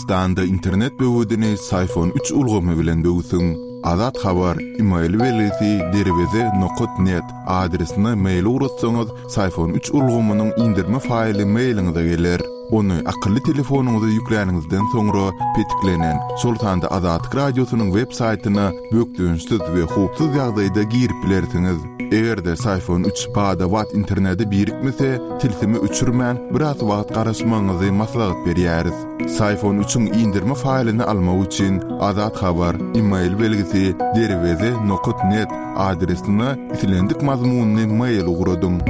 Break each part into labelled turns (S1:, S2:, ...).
S1: Türkmenistanda internet böwedini Syfon üç ulgamy bilen böwsüň. Azat Habar, email belgisi derweze nokat net adresine mail ugratsaňyz, Syfon üç ulgamynyň indirme faýly mailiňize geler. Ony akylly telefonyňyza ýükläniňizden soňra petiklenen, şol sanda Azatlyk Radiosynyň web saýtyna bökdençsiz we howpsuz ýagdaýda girip bilersiňiz. Eger-de Syfon üç bada-bat internete birikmese, tilsimi öçürmän, biraz wagt garaşmagyňyzy maslahat berýäris. Syfon üçiň indirme faýlyny almak üçin Azat Habar, email belgisi, derweze nokat net adresine islendik mazmunly mail ugradyň.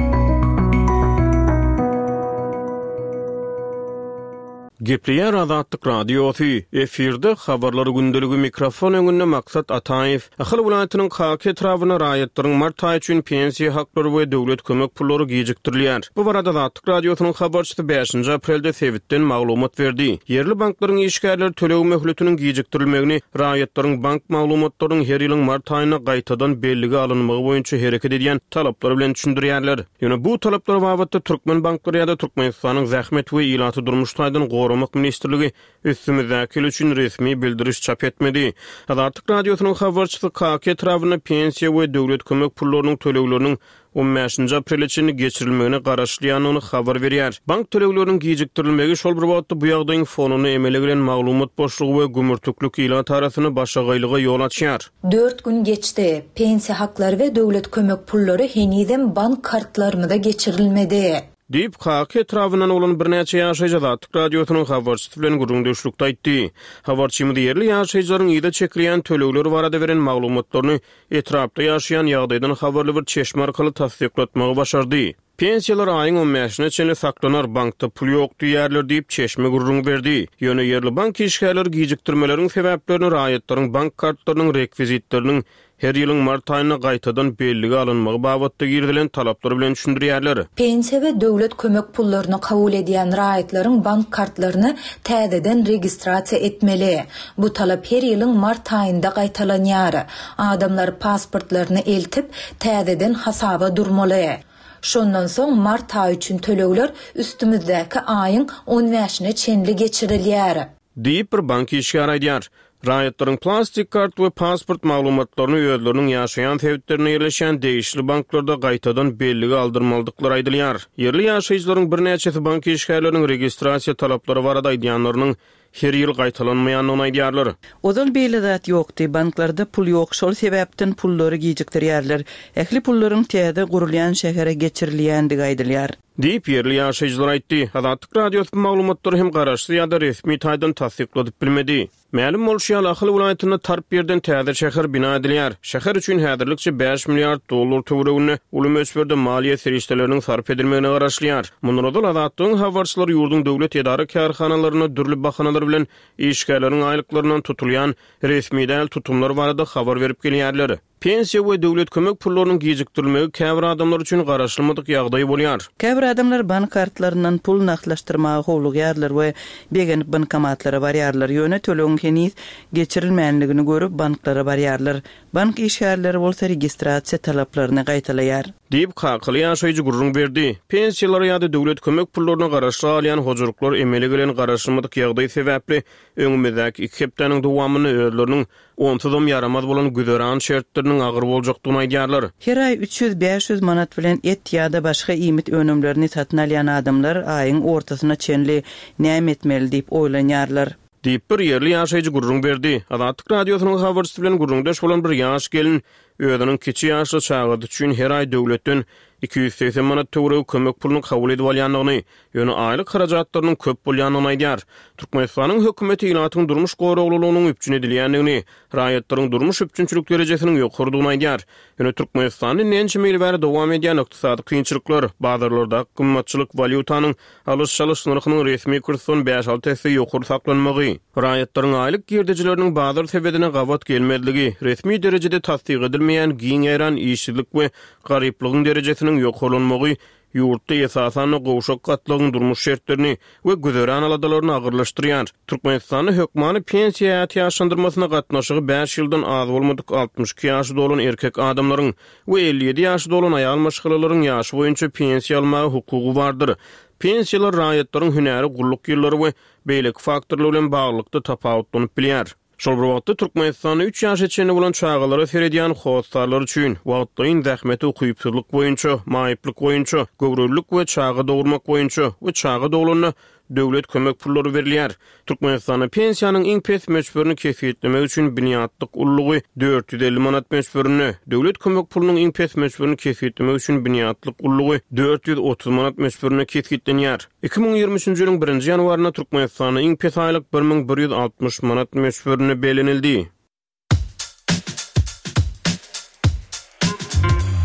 S2: Gepleýär Azatlyk Radiosy, efirde Habarlar gündeligi mikrofon öňünde Maksat Ataýew. Ahal welaýatynyň Kaka etrabynda raýatlaryň mart aýy üçin pensiýa haklary we döwlet kömek pullary gijikdirilýär. Bu barada Azatlyk Radiosynyň habarçysy bäşinji aprelde sebitden maglumat berdi. Ýerli banklaryň işgärleri töleg möhletiniň gijikdirilmegini raýatlaryň bank maglumatlarynyň her ýylyň mart aýynda gaýtadan bellige alynmagy boýunça hereket edýän talaplar bilen düşündirýärler. Ýöne bu talaplar babatda türkmen banklary ýa-da Türkmenistanyň Zähmet we ilaty durmuş taýdan goramak ministrligi üstümizdäki ýyl üçin resmi bildiriş çap etmedi. Azatlyk Radiosynyň habarçysy Kaka etrabynda pensiýa we döwlet kömek pullarynyň tölegleriniň on bäşinji aprele çenli geçirilmegine garaşylýandygyny habar berýär. Bank tölegleriniň gijikdirilmegi şol bir wagtda bu ýagdaýyň fonunda emele gelen maglumat boşlugy we gümürtiklik ilat arasynda başagaýlyga ýol açýar.
S3: Dört gün geçdi. Pensiýa haklary we döwlet kömek pullary henizem bank kartlarymyza geçirilmedi.
S2: Diýip, Kaka etrabyndan bolan birnäçe ýaşaýjy Azatlyk Radiosynyň habarçysy bilen gürrüňdeşlikde aýtdy. Habarçymyz ýerli ýaşaýjylaryň yza çekilýän tölegler barada beren maglumatlaryny etrapda ýaşaýan ýagdaýdan habarly bir çeşme arkaly tassyklatmagy başardy. Pensiýalar aýyň on bäşine çenli saklanar, bankda pul ýok diýýärler diýip, çeşme gürrüň berdi. Ýöne ýerli bank işgärleri gijikdirmeleriň sebäplerini raýatlaryň bank kartlarynyň rekwizitleriniň her ýylyň mart aýynda gaýtadan bellige alynmagy babatda girizilen talaplar bilen düşündirýärler.
S3: Pensiýa we döwlet kömek pullaryny kabul edýän raýatlaryň bank kartlaryny täzeden registrasiýa etmeli. Bu talap her ýylyň mart aýynda gaýtalanýar. Adamlar pasportlaryny eltip, täzeden hasaba durmaly. Şondan soň mart aýy üçin tölegler üstümizdäki aýyň on bäşine çenli geçirilýär.
S2: Diýip, bir bank işgäri aýdýar. Raýatlaryň plastik kart we pasport maglumatlaryny özleriniň ýaşaýan sebitlerinde ýerleşýän degişli banklarda gaýtadan bellige aldyrmalydyklary aýdylýar. Ýerli ýaşaýjylaryň birnäçesi bank işgärleriniň registrasiýa talaplary barada aýdýanlarynyň her ýyl gaýtalanmaýandygyny aýdýarlar.
S4: Ozal beýle zat ýokdy, banklarda pul ýok, şol sebäpden pullary gijikdirýärler. Ähli pullaryň täze gurulýan şähere geçirilýändigi aýdylýar.
S2: Diýip, ýerli ýaşaýjylar aýtdy. Azatlyk Radiosy bu maglumatlary hem garaşsyz ýa-da resmi taýdan tassykladyp bilmedi. Mälim bolşy ýaly, Ahal welaýatynda tarp ýerden täze şäher bina edilýär. Şäher üçin häzirlikçe bäş milliard dollar töwereginde uly möçberde maliýe serişdeleriniň sarp edilmegine garaşylýar. Mundan ozal, Azatlygyň habarçylary ýurduň döwlet edara-kärhanalarynda dürli bahanalar bilen işgärleriň aýlyklaryndan tutulýan resmi däl tutumlar barada habar berip gelýärler. Pensiýa we döwlet kömek pullarynyň gijikdirilmegi käbir adamlar üçin garaşylmadyk ýagdaý bolýar.
S4: Käbir adamlar bank kartlaryndan pul nagtlaşdyrmaga howlugýarlar we begenip bankomatlara barýarlar, ýöne tölegiň heniz geçirilmänligini görüp banklara barýarlar. Bank işgärleri bolsa registrasiýa talaplaryny gaýtalaýar.
S2: Diýip, kakaly ýaşaýjy gürrüň berdi. Pensiýalara ýa-da döwlet kömek pullaryna garaşly galýan hojalyklar emele gelen garaşylmadyk ýagdaý sebäpli öňümizdäki iki hepdäniň dowamynda özleriniň Onsuzam ýaramaz bolan güzeran şertleriniň agyr boljakdygyny aýdýarlar.
S4: Her aý 300-500 manat bilen et ýa-da başga iýmit önümlerini satyn alýan adamlar aýyň ortasyna çenli näme etmeli diýip oýlanýarlar.
S2: Diýip, bir ýerli ýaşaýjy gürrüň berdi. Azatlyk Radiosynyň habarçysy bilen gürrüňdeş bolan bir ýaş gelin özüniň kiçi ýaşly çagasy üçin her aý döwletden 280 manat töweregi kömek puluny kabul edip alýandygyny, ýöne aýlyk harajatlarynyň köp bolýandygyny aýdýar. Türkmenistanyň hökümeti ilatyň durmuş goraglylygynyň üpjün edilýändigini, raýatlaryň durmuş üpjünçilik derejesiniň ýokarydygyny aýdýar. Ýöne Türkmenistanda indi ençeme ýyl bäri dowam edýän ykdysady kynçylyklar, bazarlardaky gymmatçylyk, walýutanyň alyş-çalyş nyrhynyň resmi kursdan bäş-alty esse ýokary saklanmagy, raýatlaryň aýlyk girdejileriniň bazar sebedine gabat gelmezligi, resmi derejede tassyk edilmeýän giň ýaýran işsizlik we garyplygyň derejesiniň ýokarlanmagy. ýurtda esasan-da gowşak gatlagyň durmuş şertlerini we güzeran aladalaryny agyrlaşdyrýar. Türkmenistanda hökmany pensiýa ätiýaçlandyrmasyna gatnaşygy bäş ýyldan az bolmadyk 62 ýaşy dolan erkek adamlaryň we 57 ýaşy dolan aýal maşgalalaryň ýaşy boýunça pensiýa almaga hukugy bardyr. Pensiýalar raýatlaryň hünäri, gulluk ýyllary we beýleki faktorlar bilen baglylykda tapawutlanyp bilýär. Şol bir wagtda, Türkmenistanda üç ýaşa çenli bolan çagalara seredýän hossarlar üçin, wagtlaýyn zähmete ukypsyzlyk boýunça, maýyplyk boýunça, göwrelilik we çaga dogurmak boýunça we çaga doglanda döwlet kömek pullary berilýär. Türkmenistanda pensiýanyň iň pes möçberini kesgitlemek üçin binýatlyk ululygy 450 manat möçberinde, döwlet kömek pulunyň iň pes möçberini kesgitlemek üçin binýatlyk ululygy 430 manat möçberinde kesgitlenýär. 2023-nji ýylyň birinji ýanwarynda Türkmenistanda iň pes aýlyk 1160 manat möçberinde bellenildi.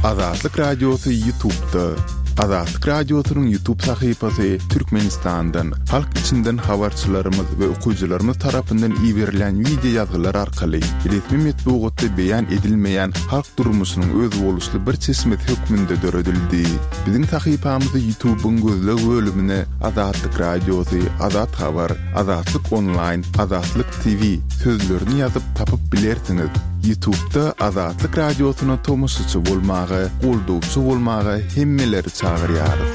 S1: Azatlyk Radiosy Ýutubda. Azatlyk Radiosynyň Ýutub sahypasy Türkmenistandan, halk içinden habarçylarymyz we okyjylarymyz tarapyndan iberilýän wideo ýazgylar arkaly resmi metbugatda beýan edilmeýän halk durmuşynyň özboluşly bir çeşmesi hökmünde döredildi. Biziň sahypamyzy Ýutubyň gözleg bölümine Azatlyk Radiosy, Azat Habar, Azatlyk Onlaýn, Azatlyk TV sözlerini ýazyp tapyp bilersiňiz. Ýutubda Azatlyk Radiosyna tomaşaçy bolmaga, goldawçy bolmaga hemmeleri çagyrýarys.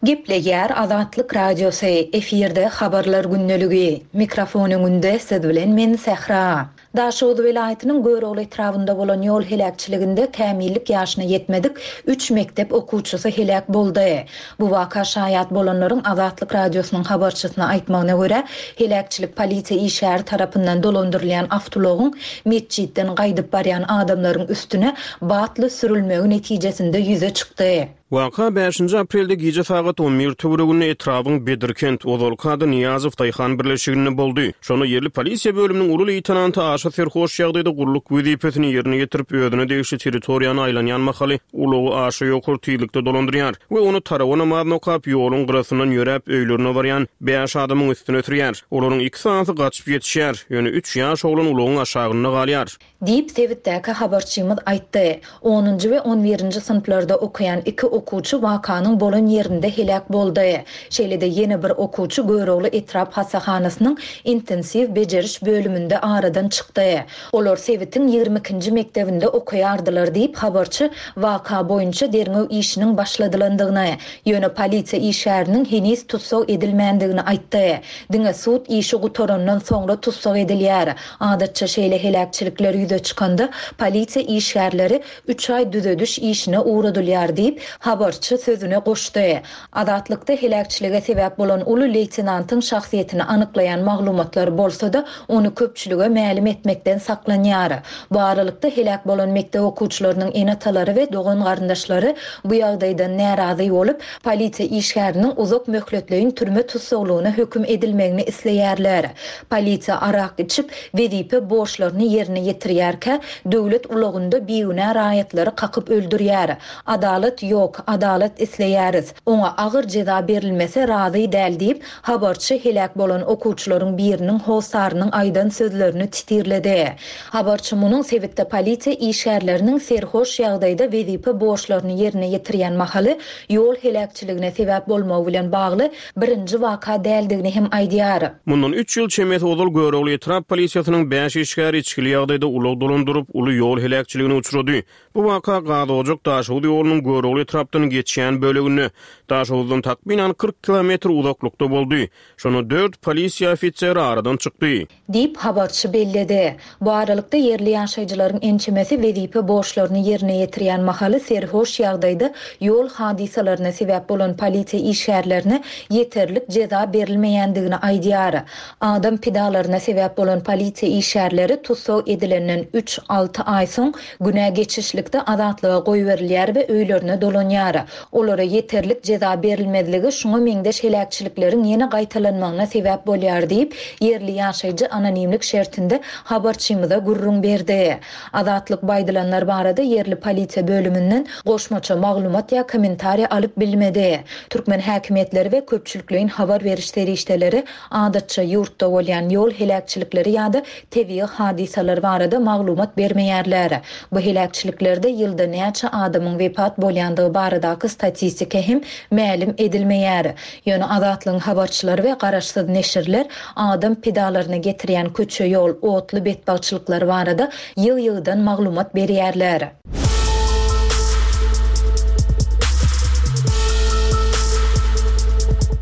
S3: Gepleýär Azatlyk Radiosy, efirde Habarlar gündeligi. Mikrofon öňünde siz bilen men Sähra. Daşoguz welaýatynyň Görogly etrabynda bolan ýol heläkçiliginde kämillik ýaşyna ýetmedik üç mekdep okuwçysy heläk boldy. Bu waka şaýat bolanlaryň Azatlyk Radiosynyň habarçysyna aýtmagyna görä, heläkçilik polisiýa işgäri tarapyndan dolandyrylýan awtoulagyň metjitden gaýdyp barýan adamlaryň üstüne batly sürülmegi netijesinde ýüze çykdy.
S2: Waka bäşinji aprelde gije sagat on bir töwereginde etrabyň Bedirkent, ozalky ady Nyýazow daýhan birleşiginde boldy. Şonda ýerli polisiýa bölüminiň uly leýtenanty aşa serhoş ýagdaýda gulluk wezipesini ýerine ýetirip, özüne degişli territoriýany aýlanýan mahaly ulagy aşa ýokary tizlikde dolandyrýar we ony tarawa namazyny okap, ýoluň gyrasyndan ýöräp öýlerine barýan bäş adamyň üstüne sürýär. Olaryň iki sanysy gaçyp ýetişýär, ýöne üç ýaş oglan ulagyň aşagynda galýar.
S3: Diýip, sebitdäki habarçymyz aýtdy. Onunjy we on birinji synplarda okaýan iki okuwçy wakanyň bolan ýerinde heläk boldy. Şeýle-de ýene bir okuwçy Görogly etrap hassahanasynyň intensiw bejeriş bölüminde aradan çykdy. Olar sebitiň ýigrimi ikinji mekdebinde okaýardylar diýip, habarçy waka boýunça derňew işiniň başladylandygyny, ýöne polisiýa işgäriniň heniz tussag edilmändigini aýtdy. Diňe sud işi gutarandan soňra tussag edilýär. Adatça şeýle heläkçilikler ýüze çykanda, polisiýa işgärleri üç aý düzediş işine ugradylýar diýip, habarçy sözüne goşdy. Azatlykda heläkçilige sebäp bolan uly leýtenantyň şahsyýetini anyklaýan maglumatlar bolsa-da, ony köpçülige mälim etmekden saklanýar. Bu aralykda, heläk bolan mekdep okuwçylarynyň ene-atalary we dogan-garyndaşlary bu ýagdaýdan närazy bolup, polisiýa işgäriniň uzak möhletleýin türme tussaglygyna höküm edilmegini isleýärler. Polisiýa arak içip, wezipe borçlaryny ýerine ýetirýärkä, döwlet ulagynda bigünä raýatlary kakyp öldürýär. Adalat ýok, adalat isleýäris. Oňa agyr jeza berilmese razy däl diýip, habarçy heläk bolan okuwçylaryň biriniň hossarynyň aýdan sözlerini titirledi. Habarçy munuň sebitde polisiýa işgärleriniň serhoş ýagdaýda wezipe borçlaryny ýerine ýetirýän mahaly ýol heläkçiligine sebäp bolmagy bilen bagly birinji waka däldigini hem aýdýar.
S2: Mundan üç ýyl çemesi ozal Görogly etrap polisiýasynyň bäş işgäri içgili ýagdaýda ulag dolandyryp, uly ýol heläkçiligine uçrady. Bu waka Gazojak-Daşoguz ýolunyň Görogly etrapdan geçýän böleginde, Daşoguzdan takmynan 40 kilometr uzaklykda boldy. Şonda dört polisiýa ofiseri aradan çykdy.
S3: Diýip, habarçy belledi. Bu aralykda, ýerli ýaşaýjylaryň ençemesi wezipe borçlaryny ýerine ýetirýän mahaly serhoş ýagdaýda ýol hadysalaryna sebäp bolan polisiýa işgärlerine ýeterlik jeza berilmeýändigini aýdýar. Adam pidalaryna sebäp bolan polisiýa işgärleri tussag edilenden üç, alty aý soň günä geçişlikde azatlyga goýberilýär we öýlerine dolanýar. saklanýar. Olara ýeterlik jeza berilmezligi şuňa meňzeş heläkçilikleriň ýene gaýtalanmagyna sebäp bolýar diýip, ýerli ýaşaýjy anonimlik şertinde habarçymyza gürrüň berdi. Azatlyk bu aýdylanlar barada ýerli polisiýa bölüminden goşmaça maglumat ýa kommentariýa alyp bilmedi. Türkmen häkimiýetleri we köpçülikleýin habar beriş serişdeleri adatça ýurtda bolýan ýol heläkçilikleri ýa-da tebigy hadysalar barada maglumat bermeýärler. Bu heläkçiliklerde ýylda näçe adamyň wepat bolýandygy baradaky statistika hem mälim edilmeýär. Ýöne Azatlygyň habarçylary we garaşsyz neşirler adam pidalaryna getirýän köçe-ýol, otly betbagtçylyklary barada ýygy-ýygydan maglumat berýärler.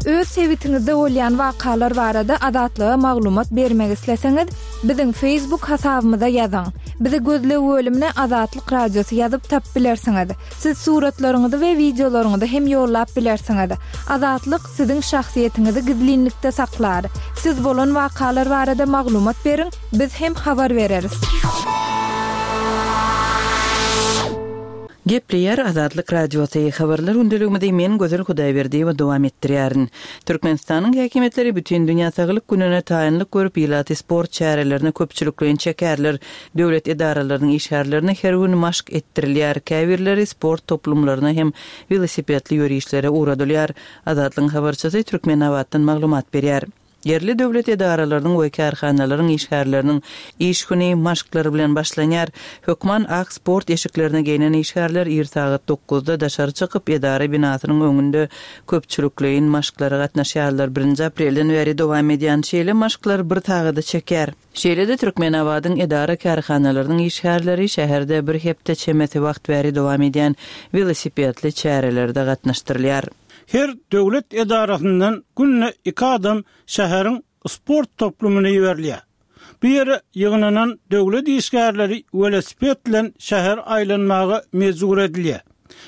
S5: Öz sebitiňizde bolýan wakalar barada Azatlyga maglumat bermek isleseňiz, biziň Facebook hasabymyza ýazyň. Bizi gözleg bölümine Azatlyk Radiosy ýazyp tapyp bilersiňiz. Siz suratlaryňyzy we wideolaryňyzy hem ýollap bilersiňiz. Azatlyk siziň şahsyýetiňizi gizlinlikde saklar. Siz bolan wakalar barada maglumat beriň, biz hem habar bereris.
S4: Gepleýär Azatlyk Radiosy, Habarlar gündeligimizi men Gözel Hudaýberdiýewa dowam etdirýärin. Türkmenistanyň häkimiýetleri Bütindünýä saglyk gününe taýynlyk görüp, ilaty sport çärelerine köpçülikleýin çekerler. Döwlet edaralarynyň işgärlerine her gün maşk etdirilýär, käbirleri sport toplumlaryna hem welosipedli ýörişlere ugradylýar. Azatlygyň habarçysy Türkmenabatdan maglumat berýär. Ýerli döwlet edaralarynyň we kärhanalaryň işgärleriniň iş güni maşklar bilen başlanýar. Hökman ak sport eşiklerini geýnen işgärler ir sagat dokuzda daşary çykyp, edara binasynyň öňünde köpçülikleýin maşklara gatnaşýarlar. Birinji aprelden bäri dowam edýän şeýle maşklar bir sagada çekýär. Şeýle-de Türkmenabadyň edara-kärhanalarynyň işgärleri şäherde bir hepde çemesi wagt bäri dowam edýän welosipedli çärelerde gatnaşdyrylýar.
S6: Her döwlet edarasyndan günde iki adam şäheriň sport toplumyna iberilýär. Bu ýere ýygnanan döwlet işgärleri welosiped bilen şähere aýlanmaga mejbur edilýär.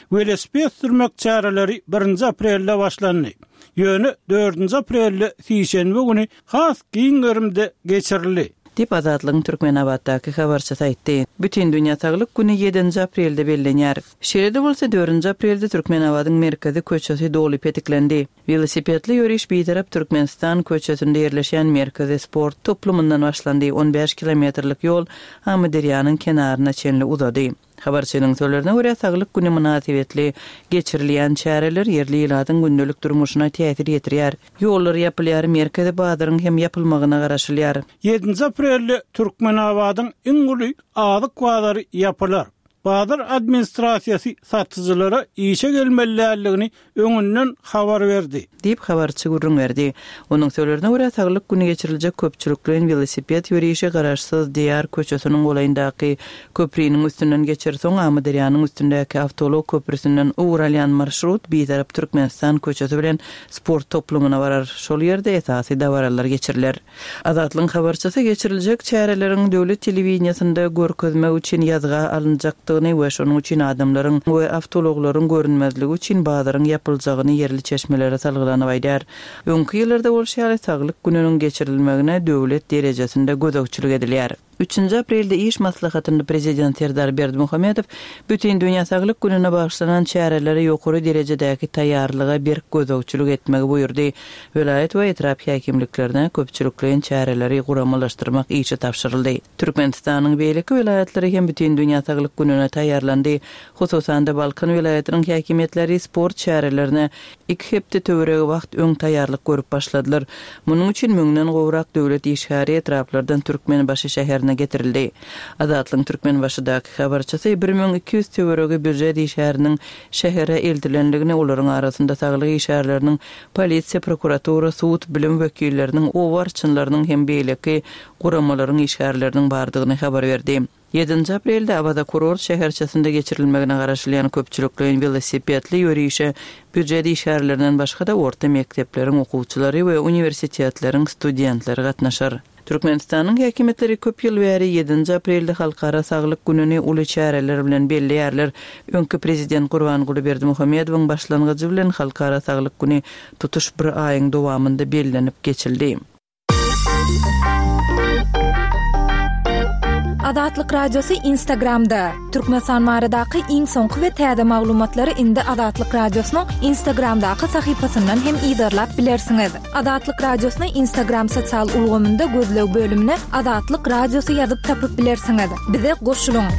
S6: Welosiped sürmek çäreleri birinji aprelde başlandy. Ýöne dördünji aprelde sişenbe güni has giň gerimde geçirildi.
S4: Diýip, Azatlygyň Türkmenabatdaky habarçysy aýtdy. Bütindünýä saglyk güni ýedinji aprelde bellenýär. Şeýle-de bolsa, dördünji aprelde Türkmenabadyň merkezi köçesi doly petiklendi. Welosipedli ýöriş Bitarap Türkmenistan köçesinde ýerleşýän merkezi sport toplumyndan başlandy, on bäş kilometrlik ýol Amyderýanyň kenaryna çenli uzady. Habarçynyň sözlerine görä, Saglyk güni mynasybetli geçirilýän çäreler ýerli ilatyň gündelik durmuşyna täsir ýetirýär. Ýollar ýapylýar, merkezi bazaryň hem ýapylmagyna garaşylýar.
S6: Ýedinji aprelde Türkmenabadyň iň uly azyk bazary ýapylar. Bazar administrasiýasy satyjylara işe gelmeli däldigini öňünden habar berdi.
S4: Diýip, habarçy gürrüň berdi. Onuň sözlerine görä, Saglyk güni geçiriljek köpçülikleýin welosiped ýörişi Garaşsyz Diýar köçesiniň golaýyndaky köpriniň üstünden geçer, soň Amyderýanyň üstündäki awtoulag köprüsinden ugur alýan marşrut Bitarap Türkmenistan köçesi bilen sport toplumyna barar, şol ýerde esasy dabaralar geçiriler. Azatlygyň habarçysy geçiriljek çäreleriň döwlet telewideniýesinde görkezmek üçin ýazga alynjakdygyny we şonuň üçin adamlaryň we awtoulaglaryň görünmezligi üçin bazaryň ýapyljagyny ýerli çeşmelere salgylanyp aýdýar. Öňki ýyllarda bolşy ýaly, Saglyk gününiň geçirilmegine döwlet derejesinde gözegçilik edilýär. Üçünji aprelde iş maslahatynda Prezident Serdar Berdimuhamedow Bütindünýä saglyk gününe bagyşlanan çärelere ýokary derejedäki taýýarlyga berk gözegçilik etmegi buýurdy. Welaýat we etrap häkimliklerine köpçülikleýin çäreleri guramalaşdyrmak işi tabşyryldy. Türkmenistanyň beýleki welaýatlary hem Bütindünýä saglyk gününe taýýarlandy. Hususan-da, Balkan welaýatynyň häkimiýetleri sport çärelerine iki hepde töweregi wagt öň taýýarlyk görüp başladylar. Munuň üçin müňden gowrak döwlet işgäri etraplardan Türkmenbaşy şäherine getirildi. Azatlygyň Türkmenbaşydaky habarçysy 1200 töweregi býujet işgäriniň şähere eltilendigini, olaryň arasynda saglyk işgärleriniň, polisiýa, prokuratura, sud, bilim wekilleriniň, oba arçynlarynyň hem beýleki guramalaryň işgärleriniň bardygyny habar berdi. Ýedinji aprelde Awaza kurort şäherçesinde geçirilmegine garaşylýan köpçülikleýin welosipedli ýörişe býujet işgärlerinden başga-da orta mekdepleriň okuwçylary we uniwersitetleriň studentleri gatnaşar. Türkmenistanyň häkimiýetleri köp ýyl bäri ýedinji aprelde Halkara saglyk gününi uly çäreler bilen belleýärler. Öňki prezident Gurbanguly Berdimuhamedowyň başlangyjy bilen Halkara saglyk güni tutuş bir aýyň dowamynda bellenip geçildi.
S5: Azatlyk Radiosy Instagramda! Türkmenistan baradaky iň soňky we täze maglumatlary indi Azatlyk Radiosynyň Instagramdaky sahypasyndan hem yzarlap bilersiňiz. Azatlyk Radiosyny Instagram sosial ulgamynda gözleg bölümine Azatlyk Radiosy ýazyp tapyp bilersiňiz. Bize goşulyň!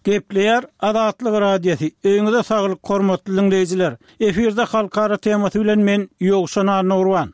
S6: Gepleýär Azatlyk Radiosy, Öýüňize saglyk hormatly diňleýjiler! Efirde halkara temasy bilen men Ýowşan Annagurban.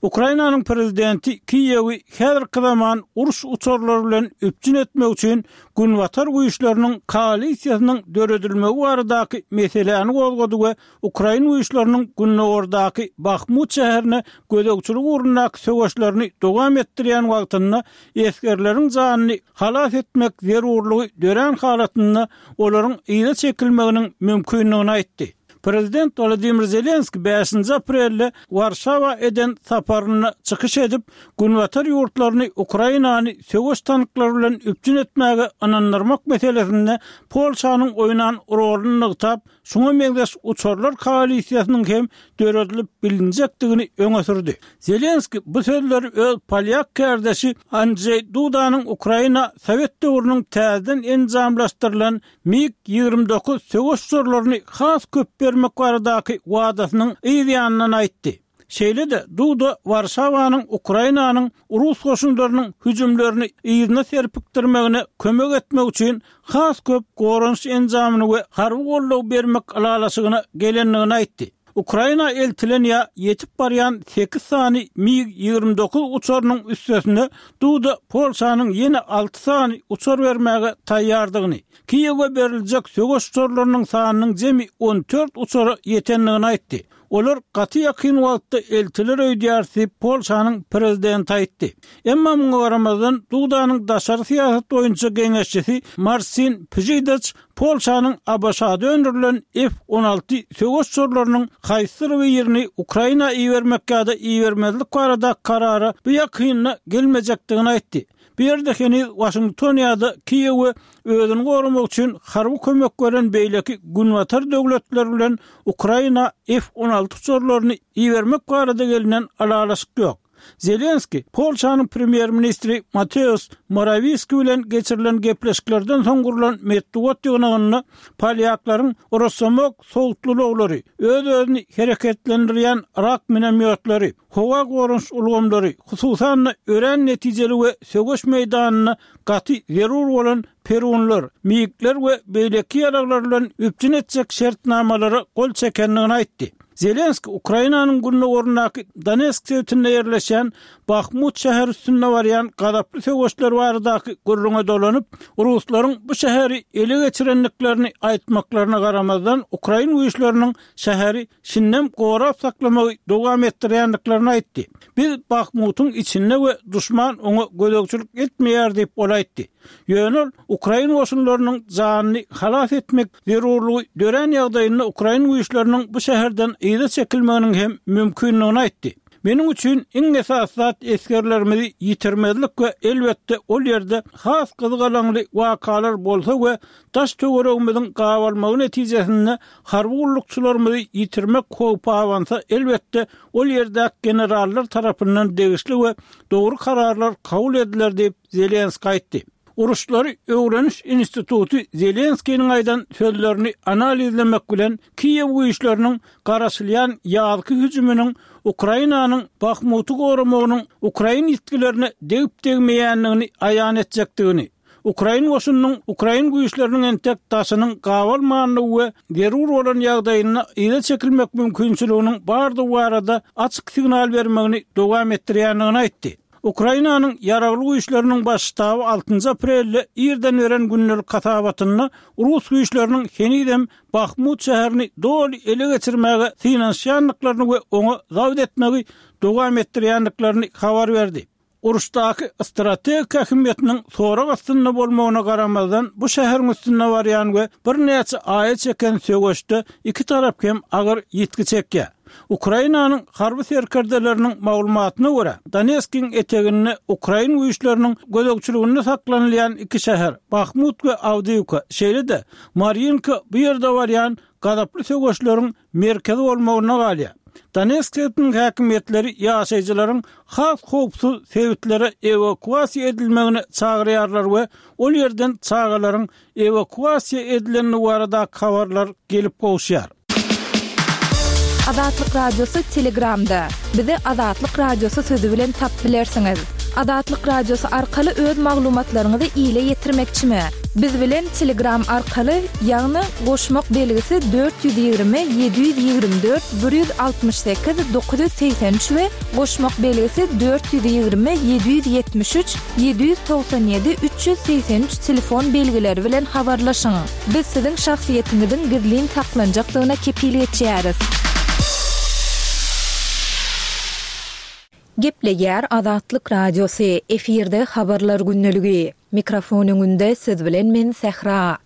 S6: Ukrainanyň prezidenti Kiýewi häzirki zaman uruş uçarlary bilen üpjün etmek üçin Günbatar güýçleriniň koalisiýasynyň döredilmegi baradaky meseläni gozgady we ukrain güýçleriniň gündogardaky Bahmut şäherine gözegçilik ugrundaky söweşlerini dowam etdirýän wagtynda esgerleriň janyny halas etmek zerurlygy dörän halatynda olaryň yza çekilmeginiň mümkindigini aýtdy. Prezident Wolodymyr Zelenskiý bäşinji aprelde Warşawa eden saparynda çykyş edip, Günbatar ýurtlaryny Ukrainany söweş tanklary bilen üpjün etmäge ynandyrmak meselesinde Polşanyň oýnan roluny nygtap, şuňa meňzeş uçarlar koalisiýasynyň hem döredilip bilinjekdigini öňe sürdi. Zelenskiý bu sözleri öz polýak kärdeşi Andžeý Dudanyň Ukraina sowet döwrüniň täzeden enjamlaşdyrylan MiG 29 söweş uçarlaryny has köp bermek baradaky wadasynyň yz ýanyndan aýtdy. Şeýle-de, Duda Warşawanyň Ukrainanyň rus goşunlarynyň hüjümlerini yzyna serpikdirmegine kömek etmek üçin has köp goranyş enjamyny we harby goldaw bermek ylalaşygyna gelendigini aýtdy. Ukraina eltilen ýa ýetip barýan sekiz sany MiG 29 uçarynyň üstesine Duda Polşanyň ýene alty sany uçar bermäge taýýardygyny, Kiýewe beriljek söweş uçarlarynyň sanynyň jemi 14 uçara ýetendigini aýtdy. Olar gaty ýakyn wagtda eltiler öýdýäris diýip, Polşanyň prezidenti aýtdy. Emma muňa garamazdan, Dudanyň daşary syýasat boýunça geňeşçisi Marsin Pžidaç Polşanyň ABŞ-da öndürilen F 16 söweş uçarlarynyň haýsydyr birini Ukraina ibermek ýa-da ibermezlik baradaky karara bu ýakynda gelmejekdigini aýtdy. Bu ýerde heniz Waşington ýa-da Kiýewe özüni goramak üçin harby kömek beren beýleki Günbatar döwletleri bilen Ukraina F 16 uçarlaryny ibermek barada gelnen ylalaşyk ýok. Zelenskiý Polşanyň premýer-ministri Mateusz Morawiski bilen geçirilen gepleşiklerden soň gurlan metbugat ýygnagynda polýaklaryň Rossomok sowutly ulaglary, öz-özüni hereketlendirýän Rak minomýotlary, howa goranyş ulgamlary, hususan-da örän netijeli we söweş meýdanynda gaty zerur bolan Perunlar, MiG-ler we beýleki ýaraglar bilen üpjün etjek şertnamalara gol çekendigini aýtdy. Zelenskiý Ukrainanyň gündogaryndaky Donetsk sebitinde ýerleşýän Bahmut şäheri üstünde barýan gazaply söweşler baradaky gürrüňe dolanyp, ruslaryň bu şäheri ele geçirendiklerini aýtmaklaryna garamazdan, ukrain güýçleriniň şäheri şindem gorap saklamagy dowam etdirýändiklerini aýtdy. Biz Bahmutyň içinde we duşman oňa gözegçilik etmeýär diýip, ol aýtdy. Ýöne ol ukrain goşunlarynyň janyny halas etmek zerurlygy dörän ýagdaýynda ukrain güýçleriniň bu şäherden yza çekilmeginiň hem mümkindigini aýtdy. Meniň üçin iň esasy zat esgerlerimizi ýitirmezlik we elbetde ol ýerde has gyzgalaňly wakalar bolsa we daş-töweregimiziň gabalmagy netijesinde harby gullukçylarymyzy ýitirmek howpy abansa elbetde ol ýerdäki generallar tarapyndan degişli we dogry kararlar kabul ediler diýip Zelenskiý aýtdy. Uruşlary öwreniş instituty Zelenskiniň aýdan sözlerini analizlemek bilen, Kiýew güýçleriniň garaşylýan ýazky hüjüminiň Ukrainanyň Bahmuty goramagynyň ukrain ýitgilerine degip-degmeýändigini aýan etjekdigini, ukrain goşunynyň ukrain güýçleriniň entek daşynyň gabalmandygy we zerur bolan ýagdaýynda yza çekilmek mümkinçiliginiň bardygy barada açyk signal bermegini dowam etdirýändigini aýtdy. Ukrainanyň Ýaragly Güýçleriniň Baş ştaby altynjy aprelde irden beren gündelik hasabatynda rus güýçleriniň henizem Bahmut şäherini doly ele geçirmäge synanyşýandyklaryny we oňa zabt etmegi dowam etdirýändiklerini habar berdi. Uruşdaky strategik ähmiýetiniň sorag astynda bolmagyna garamazdan, bu şäheriň üstünde barýan we birnäçe aýa çeken söweşde iki tarap hem agyr ýitgi çekýär. Ukrainanyň harby serkerdeleriniň maglumatyna görä, Donetskiň eteginde ukrain güýçleriniň gözegçiliginde saklanylýan iki şäher, Bahmut we Awdiýwka, şeýle-de Marýinka bu ýerde barýan gazaply söweşleriň merkezi bolmagynda galýar. Donetsk sebitiniň häkimiýetleri ýaşaýjylaryň has howpsuz sebitlere ewakuasiýa edilmegine çagyrýarlar we ol ýerden çagalaryň ewakuasiýa edilendigi baradaky habarlar gelip gowuşýar.
S5: Azatlyk Radiosy Telegramda. Bizi Azatlyk Radiosy sözi bilen tapyp bilersiňiz. Azatlyk Radiosy arkaly öz maglumatlaryňyzy ile ýetirmekçimi? Biz bilen Telegram arkaly, ýagny goşmak belgisi 420 724 168 983 we goşmak belgisi 420 773 797 383 telefon belgileri bilen habarlaşyň. Biz siziň şahsyýetiňiziň gizlin saklanjakdygyna kepil geçýäris. Gepleýär Azatlyk Radiosy, efirde Habarlar gündeligi. Mikrofon öňünde siz bilen men Sähra.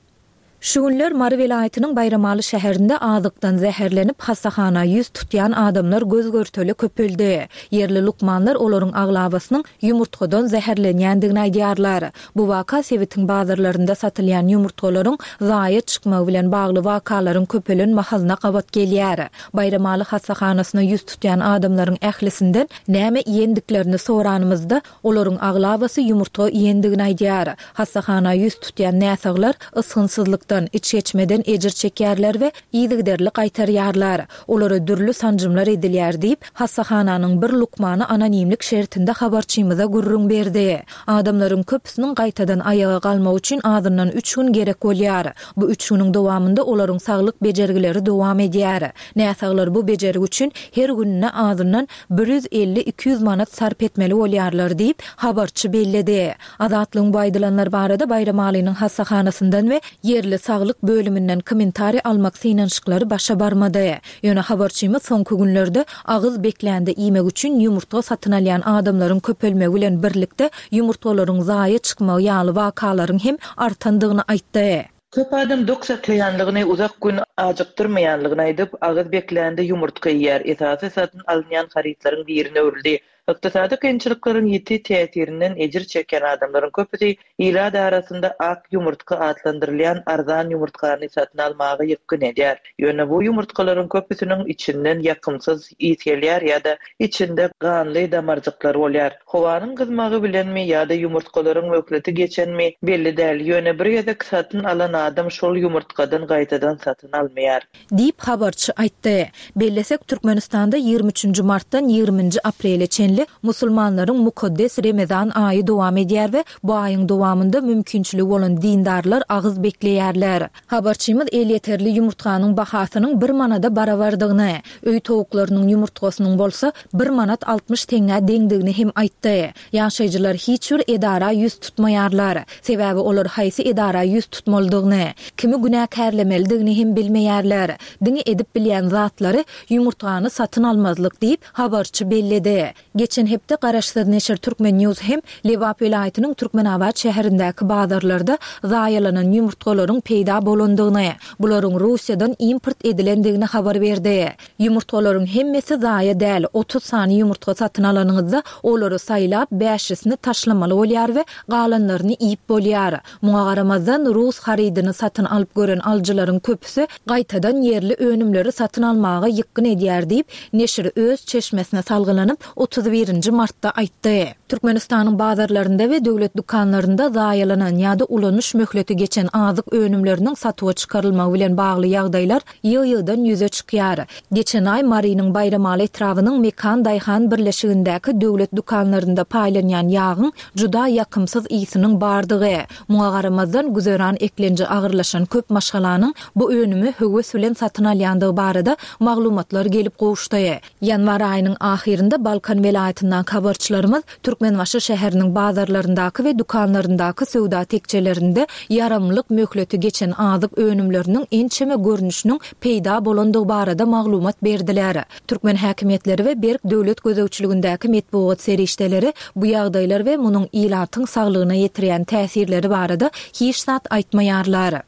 S5: Şu günler Mary welaýatynyň Baýramaly şäherinde azykdan zäherlenip, hassahana ýüz tutýan adamlar göz-görtele köpeldi. Ýerli lukmanlar olaryň aglabasynyň ýumurtgadan zäherlenýändigini aýdýarlar. Bu waka sebitiň bazarlarynda satylýan ýumurtgalaryň zaýa çykmagy bilen bagly wakalaryň köpelen mahalyna gabat gelýär. Baýramaly hassahanasyna ýüz tutýan adamlaryň ählisinden näme iýendiklerini soranymyzda, Olaryň aglabasy ýumurtga iýendigini aýdýar. Hassahana ýüz tutýan näsaglar ysgynsyzlykdan, içgeçmeden ejir çekýärler we yzygiderli gaýtarýarlar. Olara dürli sanjymlar edilýär diýip, hassahananyň bir lukmany anonimlik şertinde habarçymyza gürrüň berdi. Adamlaryň köpüsiniň gaýtadan aýaga galmagy üçin azyndan üç gün gerek bolýar. Bu üç günüň dowamynda olaryň saglyk bejergileri dowam edýär. Näsaglar bu bejergi üçin her gününe azyndan 150-200 manat sarp etmeli bolýarlar diýip, habarçy belledi. Azatlygyň bu aýdylanlar barada Baýramalynyň hassahanasyndan we ýerli saglyk bölüminden kommentariý almak synanyşyklary başa barmady. Ýöne habarçymyz soňky günlerde agyz beklände iýmek üçin ýumurtga satyn alýan adamlaryň köpelmegi bilen birlikde ýumurtgalaryň zaýa çykmagy ýaly wakalaryň hem artandygyny aýtdy.
S4: Köp adam dok saklaýanlygyny, uzak gün ajykdyrmaýanlygyny aýdyp, agyz beklände ýumurtga iýýär. Esasy satyn alynýan harytlaryň birine öwrüldi. Ykdysady kynçylyklaryň ýiti täsirinden ejir çekýän adamlaryň köpüsi ilat arasynda ak ýumurtga atlandyrylýan arzan ýumurtgany satyn almaga ýykgyn edýär. Ýöne bu ýumurtgalaryň köpüsiniň içinden ýakymsyz ys gelýär ýa-da içinde ganly damarjyklar bolýar. Howanyň gyzmagy bilenmi ýa-da ýumurtgalaryň möhleti geçenmi, belli däl, ýöne bir gezek satyn alan adam şol ýumurtgadan gaýtadan satyn almaýar.
S5: Diýip, habarçy aýtdy. Bellesek, Türkmenistanda 23 nji martdan 20 nji aprele çenli musulmanlaryň mukaddes Remezan aýy dowam edýär we bu aýyň dowamynda mümkinçiligi bolan dindarlar agyz bekleýärler. Habarçymyz elýeterli ýumurtganyň bahasynyň bir manada barabardygyny, öý towuklarynyň ýumurtgasynyň bolsa bir manat 60 teňňä deňdigini hem aýtdy. Ýaşaýjylar hiç bir edara ýüz tutmaýarlar. Sebäbi olar haýsy edara ýüz tutmalydygyny, kimi günäkärlemelidigini hem bilmeýärler. Diňe edip bilýän zatlary ýumurtgany satyn almazlyk diýip, habarçy belledi. Geçen hepde garaşsyz neşir Turkmen. News hem Lebap welaýatynyň Türkmenabat şäherindäki bazarlarda zaýalanan ýumurtgalaryň peýda bolandygyny, bularyň Russiýadan import edilendigini habar berdi. Ýumurtgalaryň hemmesi zaýa däl, 30 sany ýumurtga satyn alanyňyzda, olary saýlap, bäşisini taşlamaly bolýar we galanlaryny iýip bolýar. Muňa garamazdan, rus harydyny satyn alyp gören alyjylaryň köpüsi gaýtadan ýerli önümleri satyn almaga ýykgyn edýär diýip, neşir öz çeşmesine salgylanyp, 31 nji martda aýtdy. Türkmenistanyň bazarlarynda we döwlet dükanlarynda zaýalanan ýa-da ulanyş möhleti geçen azyk önümleriniň satuwa çykarylmagy bilen bagly ýagdaýlar ýygy-ýygydan ýüze çykýar. Geçen aý Marynyň Baýramaly etrabynyň Mekan daýhan birleşigindäki döwlet dükanlarynda paýlanýan ýagyň juda ýakymsyz ysynyň bardygy, muňa garamazdan, güzeran eklenji agyrlaşan köp maşgalanyň bu önümi höwes bilen satyn alýandygy barada maglumatlar gelip gowuşdy. Ýanwar aýynyň ahyrynda Balkan welaýatyndaky habarçylarymyz Türkmenbaşy şäheriniň bazarlaryndaky we dükanlaryndaky söwda tekjelerinde ýaramlyk möhleti geçen azyk önümleriniň ençeme görnüşiniň peýda bolandygy barada maglumat berdiler. Türkmen häkimiýetleri we berk döwlet gözegçiligindäki metbugat serişdeleri bu ýagdaýlar we munuň ilatyň saglygyna ýetirýän täsirleri barada hiç zat aýtmaýarlar.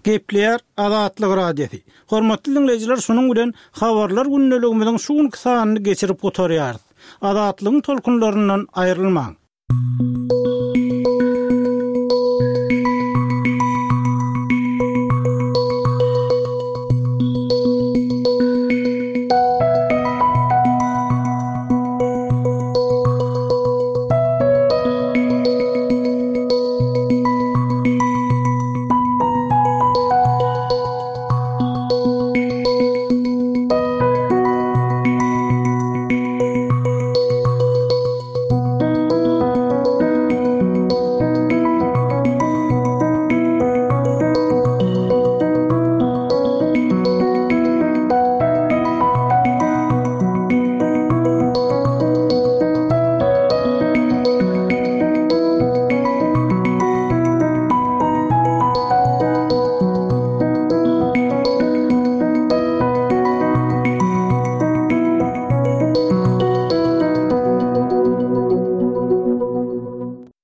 S6: Gepleýär Azatlyk Radiosy. Hormatly diňleýjiler şunuň bilen Habarlar gündeligimiziň şu günki sanyny geçirip gutarýarys. Azatlygyň tolkunlaryndan aýrylmaň.